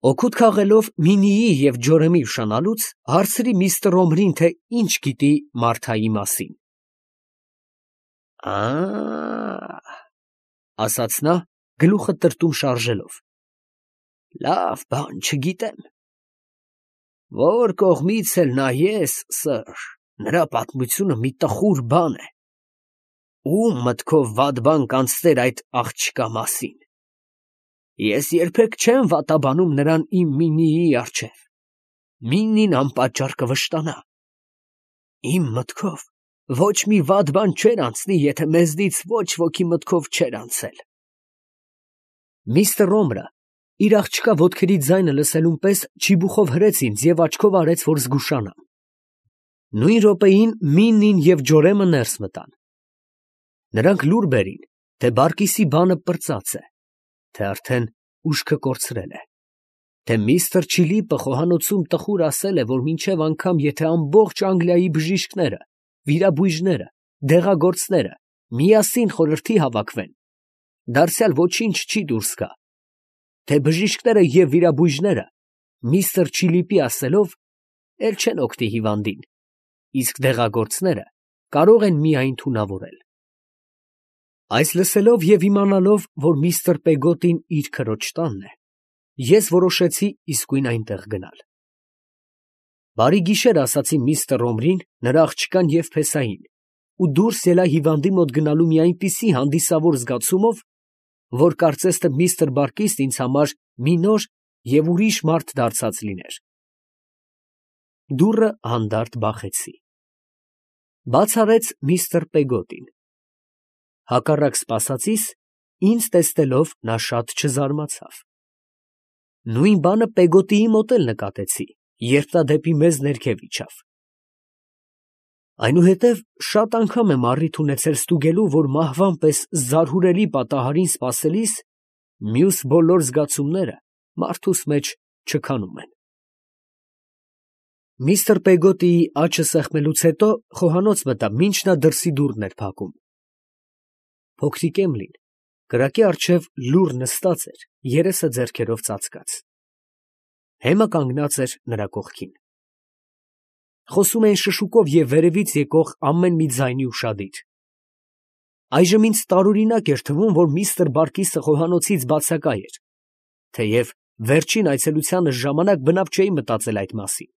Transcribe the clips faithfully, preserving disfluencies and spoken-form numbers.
Օգուտ քաղելով Մինիի և Ջորեմի ուշանալուց, հարցրի միստր Օմրին, թե ինչ գիտի Մարթայի մասին։ «Ա՜, — ասաց նա, գլուխը տրտում շարժելով, — լավ բան չգիտեմ. որ կողմից էլ նայես, սըր, նրա պատմությունը մի տխուր բան է. ո՞ւմ մտքով վատ բան կանցներ այդ աղջկա մասին. ես երբեք չեմ վատաբանում նրան իմ Մինիի առջև. Մինին անպատճառ կվշտանա. իմ մտքով ոչ մի վատ բան չէր անցնի, եթե մեզնից ոչ ոքի մտքով չէր անցել»։ Միստր Օմրը իր աղջկա ոտքերի ձայնը լսելուն պես չիբուխով հրեց ինձ և աչքով արեց, որ զգուշանամ։ Նույն րոպեին Մինին և Ջորեմը ներս մտան։ Նրանք լուր բերին, թե Բարկիսի բանը պրծած է, թե արդեն ուշքը կորցրել է, թե միստր Չիլիպը խոհանոցում տխուր ասել է, որ մինչև անգամ եթե ամբողջ Անգլիայի բժիշկները, վիրաբույժները, դեղագործները միասին խորհրդի հավաքվեն, դարձյալ ոչինչ չի դուրս գա, թե բժիշկները և վիրաբույժները միստր Չիլիպի ասելով էլ չեն օգնի հիվանդին, իսկ դեղագործները կարող են միայն թունավորել։ Այս լսելով և իմանալով, որ միստր Պեգոտին իր քրոջ տանն է, ես որոշեցի իսկույն այնտեղ գնալ։ «Բարի գիշեր», ասացի միստր Օմրին, նրա աղջկան և փեսային, ու դուրս ելա հիվանդի մոտ գնալու մի այնպիսի հանդիսավոր զգացումով, որ կարծես թե միստր Բարկիսն ինձ համար մի նոր և ուրիշ մարդ դարձած լիներ։ Դուռը հանդարտ բախեցի։ Բաց արեց միստր Պեգոտին։ Հակառակ սպասածիս, ինձ տեսնելով նա շատ չզարմացավ։ Նույն բանը Պեգոտիի մոտ էլ նկատեցի, երբ նա դեպի մեզ ներքև իջավ։ Այնուհետև շատ անգամ եմ առիթ ունեցել ստուգելու, որ մահվան պես զարհուրելի պատահարին սպասելիս մյուս բոլոր զգացումները մարդուս մեջ չքանում են։ Միստր Պեգոտիի աչը սեղմելուց հետո խոհանոց մտա, մինչ նա դրսի դուռն էր փակում։ Փոքրիկ Էմլին կրակի առջև լուռ նստած էր, երեսը ձեռքերով ծածկած։ Հեմը կանգնած էր նրա կողքին։ Խոսում էին շշուկով և վերևից եկող ամեն մի ձայնի ուշադիր։ Այժմ ինձ տարօրինակ էր թվում, որ միստր Բարկիսը խոհանոցից բացակա էր, թեև վերջին այցելությանս ժամանակ բնավ չէի մտածել այդ մասին։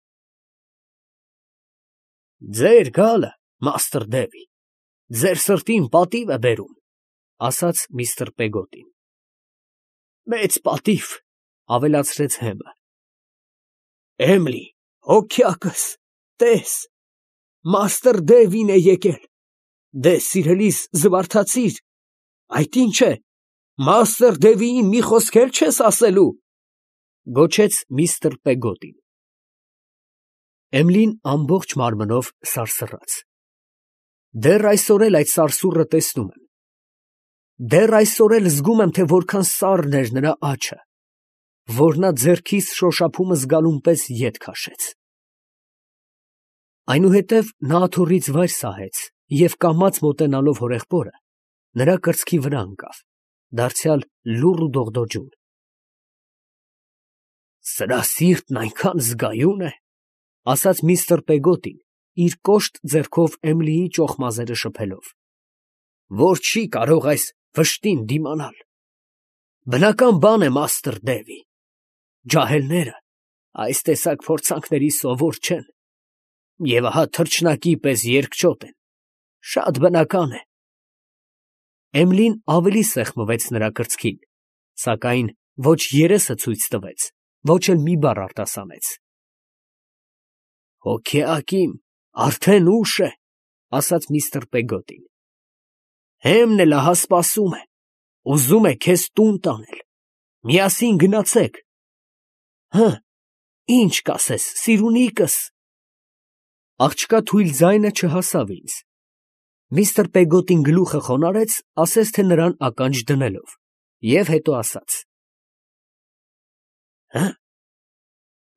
«Ձեր գալը, մաստր Դևի, ձեր սրտին պատիվ է բերում», ֊ ասաց միստր Պեգոտին։ «Մեծ պատիվ», ֊ ավելացրեց Հեմը։ «Էմլի, հոգյակս, տես, մաստր Դևին է եկել, դե սիրելիս զվարթացիր, այդ ի՞նչ է, մաստր Դևիին մի խոսք էլ չես ասելու», ֊ գոչեց միստր Պեգոտին։ Էմլին ամբողջ մարմնով սարսռաց։ Դեռ այսօր էլ այդ սարսուռը տեսնում եմ։ Դեռ այսօր էլ զգում եմ, թե որքան սառն էր նրա աջը, որ նա ձեռքիս շոշափումը զգալուն պես ետ քաշեց։ Այնուհետև նա աթոռից վայր սահեց և կամաց մոտենալով հորեղբորը, նրա կրծքի վրա ընկավ, դարձյալ լուռ ու դողդոջուն։ «Սրա սիրտն այնքան զգայուն է», ֊ ասաց միստր Պեգոտին, իր կոշտ ձեռքով Էմլիի ճոխ մազերը շփելով, «որ չի կարող այս վշտին դիմանալ։ Բնական բան է, մաստր Դևի, ջահելները այս տեսակ փորձանքների սովոր չեն, և ահա թռչնակի պես երկչոտ են, շատ բնական է»։ Էմլին ավելի սեղմվեց նրա կրծքին, սակայն ոչ երեսը ցույց տվեց, ոչ էլ մի բառ արտասանեց։ «Հոգեակ իմ, արդեն ուշ է», ֊ ասաց միստր Պեգոտին։ «Հեմն էլ ահա սպասում է, ուզում է քեզ տուն տանել, միասին գնացեք։ Հը, ի՞նչ կասես, սիրունիկս»։ Աղջկա թույլ ձայնը չհասավ ինձ։ Միստր Պեգոտին գլուխը խոնարհեց, ասես թե նրան ականջ դնելով, և հետո ասաց. «Հը,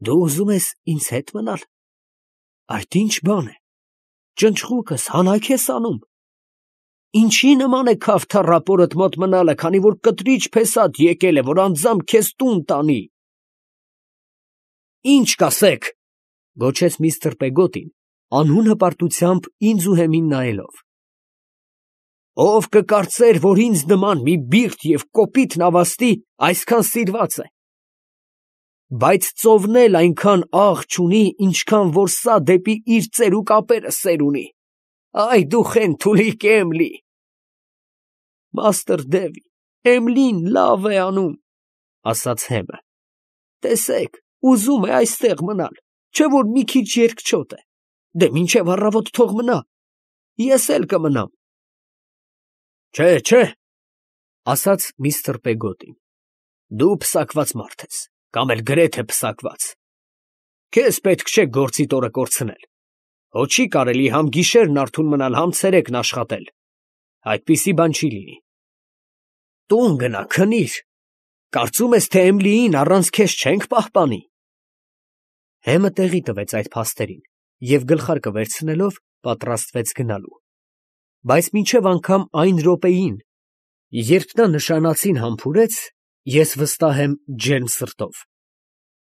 դու ուզում ես ինձ հետ մնալ, այդ ի՞նչ բան է, ճնճղուկս հանա՞ք ես անում, ինչի նման է քավ թառապորդ մոտ մնալը, քանի որ կտրիչ փեսատ եկել է, որ անձամբ քեզ տուն տանի»։ Ինչ կասեք, գոչեց միստր Պեգոտին, անհուն հպարտությամբ ինձ ու հեմին նայելով։ Ով կկարծեր, որ ինձ նման մի բիրտ և կոպիտ նավաստի այսքան սիրված է։ Բայց ծովն էլ այնքան աղ չունի, ինչքան որ սա դեպի իր ծերուկ ապերը սեր ունի։ Այ դու խենթուլիկ Էմլի։ Մաստր Դևի, Էմլին լավ է անում, ասաց հեմը։ Տեսեք, ուզում է այստեղ մնալ, չէ որ մի քիչ երկչոտ է։ Դե մինչև առավոտ թող մնա, ես էլ կմնամ։ Չէ, չէ, ասաց միստր Պեգոտին, դու պսակված մարդ ես, կամ էլ գրեթե պսակված։ Քեզ պետք չէ գործիդ օրը կորցնել։ Հո չի կարելի համ գիշերն արթուն մնալ, համ ցերեկն աշխատել։ Այդպիսի բան չի լինի։ Տուն գնա, քնիր։ Կարծում ես, թե Էմլիին առանց քեզ չենք պահպանի։ Հեմը տեղի տվեց այդ փաստերին և գլխարկը վերցնելով պատրաստվեց գնալու։ Բայց մինչև անգամ այն րոպեին, երբ նա նշանածին համբուրեց, ես վստահ եմ ջերմ սրտով,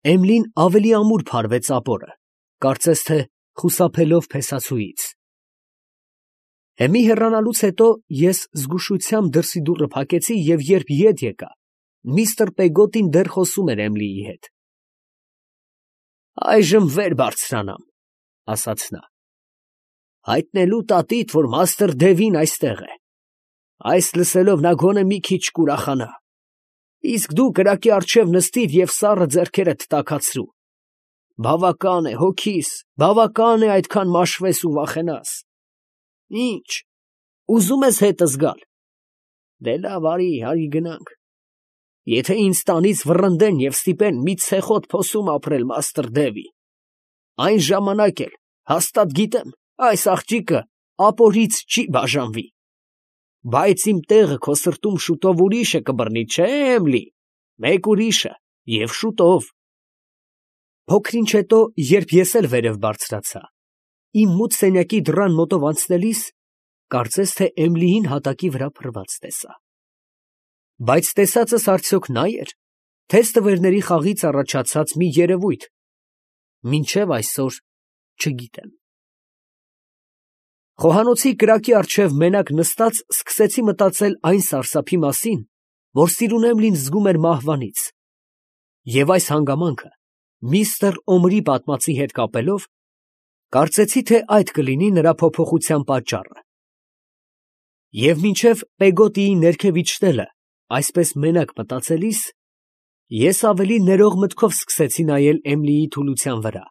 Էմլին ավելի ամուր փարվեց ապորը, կարծես թե խուսափելով փեսացուից։ Հեմի հեռանալուց հետո ես զգուշությամբ դրսի դուռը փակեցի և երբ ետ եկա, միստր Պեգոտին դեռ խոսում էր Էմլիի հետ։ Այժմ վեր բարձրանամ, ասաց նա, հայտնելու տատիդ, որ մաստր Դևին այստեղ է։ Այս լսելով նա գոնե մի քիչ կուրախանա։ Իսկ դու կրակի առջև նստիր և սառը ձեռքերդ տաքացրու։ Բավական է, հոգիս, բավական է այդքան մաշվես ու վախենաս։ Ինչ, ուզում ես հետս գալ։ Դե լավ, արի, արի գնանք։ Եթե ինձ տանից վռնդեն և ստիպեն մի ցեխոտ փոսում ապրել մաստր Դևի, այն ժամանակ էլ հաստատ գիտեմ, այս աղջիկը ապորից չի բաժանվի։ Բայց իմ տեղը քո սրտում շուտով ուրիշը կբռնի, չէ՞ Էմլի, մեկ ուրիշը և շուտով։ Փոքր ինչ հետո, երբ ես էլ վերև բարձրացա, իմ մութ սենյակի դռան մոտով անցնելիս, կարծես թե Էմլիին հատակի վրա փռված տեսա։ Բայց տեսածս արդյոք նա էր, թե ստվերների խաղից առաջացած մի երևույթ, մինչև այսօր չգիտեմ։ Խոհանոցի կրակի առջև մենակ նստած սկսեցի մտածել այն սարսափի մասին, որ սիրուն Էմլին զգում էր մահվանից, և այս հանգամանքը միստր Օմրի պատմածի հետ կապելով, կարծեցի, թե այդ կլինի նրա փոփոխության պատճառը։ Եվ մինչև Պեգոտիի ներքև իջնելը այսպես մենակ մտածելիս, ես ավելի ներող մտքով սկսեցի նայել Էմլիի թուլության վրա։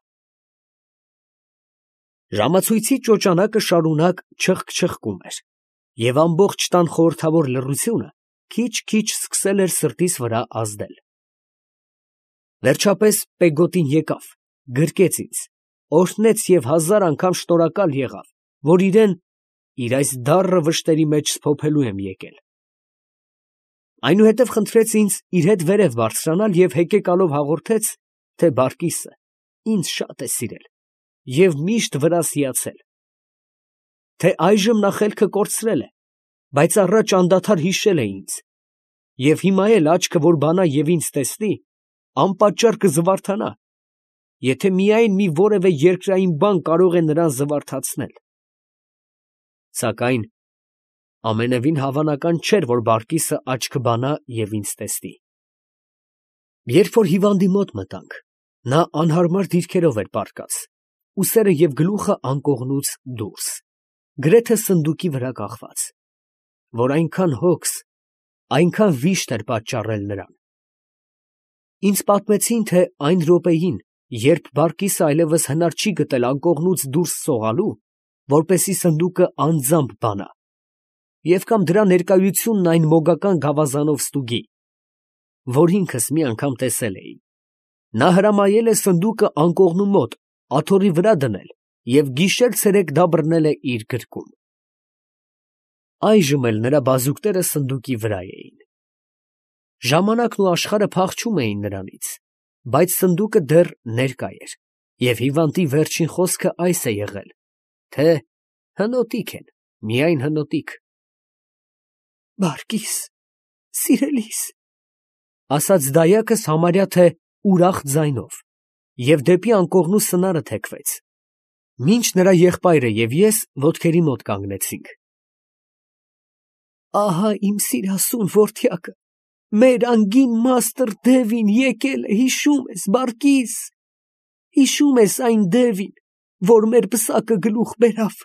Ժամացույցի ճոճանակը շարունակ չխկչխկում էր, և ամբողջ տան խորհրդավոր լռությունը քիչ֊քիչ սկսել էր սրտիս վրա ազդել։ Վերջապես Պեգոտին եկավ, գրկեց ինձ, օրհնեց և հազար անգամ շնորհակալ եղավ, որ իրեն իր այս դառը վշտերի մեջ սփոփելու եմ եկել։ Այնուհետև խնդրեց ինձ իր հետ վերև բարձրանալ և հեկեկալով հաղորդեց, թե բարկիսը ինձ շատ է սիրել և միշտ վրաս հիացել, թե այժմ նա խելքը կորցրել է, բայց առաջ անդադար հիշել է ինձ, և հիմա էլ աչքը որ բանա և ինձ տեսնի, անպատճառ կզվարթանա, եթե միայն մի որևէ երկրային բան կարող է նրան զվարթացնել։ Սակայն ամենևին հավանական չէր, որ բարկիսը աչքը բանա և ինձ տեսնի։ Երբ որ հիվանդի մոտ մտանք, նա անհարմար դիրքերով էր պառկած, ուսերը և գլուխը անկողնուց դուրս, գրեթե սնդուկի վրա կախված, որ այնքան հոգս, այնքան վիշտ էր պատճառել նրան։ Ինձ պատմեցին, թե այն րոպեին, երբ բարկիսը այլևս հնար չի գտել անկողնուց դուրս սողալու, որպեսզի սնդուկը անձամբ բանա, և կամ դրա ներկայությունն այն մոգական գավազանով ստուգի, որ ինքս մի անգամ տեսել էի, նա հրամայել է սնդուկը անկողնու մոտ աթոռի վրա դնել և գիշեր֊ցերեկ դա բռնել է իր գրկում։ Այժմ էլ նրա բազուկները սնդուկի վրա էին։ Ժամանակն ու աշխարհը փախչում էին նրանից, բայց սնդուկը դեռ ներկա էր, և հիվանդի վերջին խոսքը այս է եղել, թե հնոտիկ են, միայն հնոտիկ։ Բարկիս, սիրելիս, ասաց դայակս համարյա թե ուրախ ձայնով, և դեպի անկողնու սնարը թեքվեց, մինչ նրա եղբայրը և ես ոտքերի մոտ կանգնեցինք։ Ահա իմ սիրասուն որդյակը, մեր անգին մաստր Դևին եկել է, հիշում ես, Բարկիս, հիշում ես այն Դևին, որ մեր պսակը գլուխ բերավ,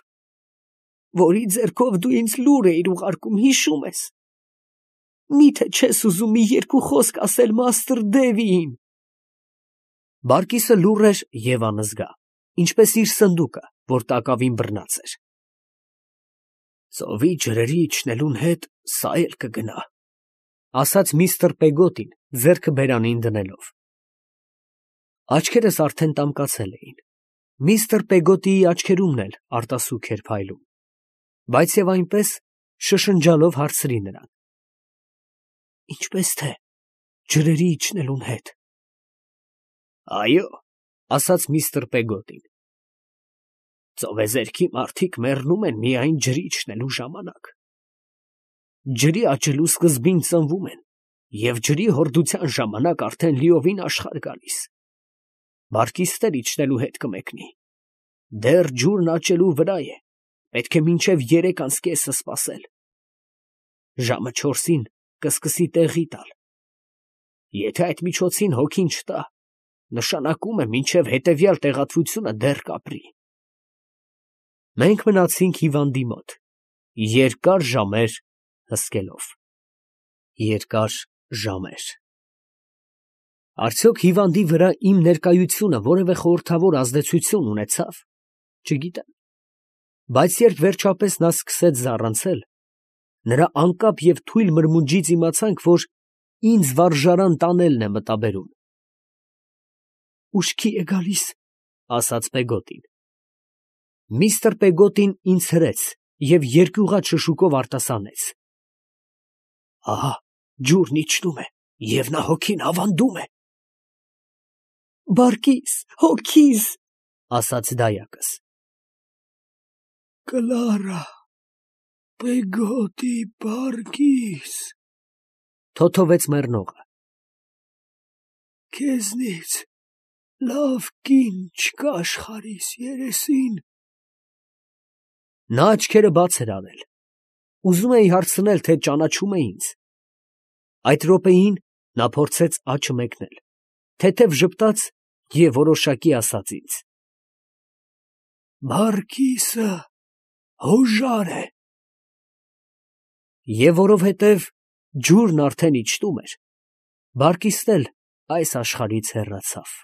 որի ձեռքով դու ինձ լուր էիր ուղարկում, հիշում ես։ Միթե չես ուզում մի երկու խոսք ասել մաստր Դևիին։ Բարկիսը լուռ էր և անզգա, ինչպես իր սնդուկը, որ տակավին բռնած էր։ Ծովի ջրերի իջնելուն հետ սա էլ կգնա, ասաց միստր Պեգոտին, ձեռքը բերանին դնելով։ Աչքերս արդեն տամկացել էին։ Միստր Պեգոտիի աչքերումն էլ արտասուք էր փայլում, բայց և այնպես շշնջալով հարցրի նրան. Ինչպես թե ջրերի իջնելուն հետ։ Այո, ասաց միստր Պեգոտին, ծովեզերքի մարդիկ մեռնում են միայն ջրի իջնելու ժամանակ։ Ջրի աճելու սկզբին ծնվում են, և ջրի հորդության ժամանակ արդեն լիովին աշխարհ գալիս։ Բարկիսն էլ իջնելու հետ կմեկնի։ Դեռ ջուրն աճելու վրա է, պետք է մինչև երեք անց կեսը սպասել։ Ժամը չորսին կսկսի տեղի տալ։ Եթե այդ միջոցին հոգին չտա, նշանակում է մինչև հետևյալ տեղատվությունը դեռ կապրի։ Մենք մնացինք հիվանդի մոտ, երկար ժամեր հսկելով։ Երկար ժամեր։ Արդյոք հիվանդի վրա իմ ներկայությունը որևէ խորհրդավոր ազդեցություն ունեցավ, չգիտեմ, բայց երբ վերջապես նա սկսեց զառանցել, նրա անկապ և թույլ մրմունջից իմացանք, որ ինձ վարժարան տանելն է մտաբերում։ Ուշքի է գալիս, ասաց Պեգոտին։ Միստր Պեգոտին ինձ հրեց և երկյուղած շշուկով արտասանեց. Ահա ջուրն իջնում է, և նա հոգին ավանդում է։ Բարկիս, հոգիս, ասաց դայակս։ Կլարա, Պեգոտի, Բարկիս, թոթվեց մեռնողը։ Քեզնից լավ կին չկա աշխարհիս երեսին։ Նա աչքերը բաց էր արել, ուզում էի հարցնել, թե ճանաչում է ինձ։ Այդ րոպեին նա փորձեց աչը մեկնել, թեթև ժպտաց և որոշակի ասաց ինձ. Բարկիսը հոժար է։ Եվ որովհետև ջուրն արդեն իջնում էր, Բարկիսն էլ այս աշխարհից հեռացավ։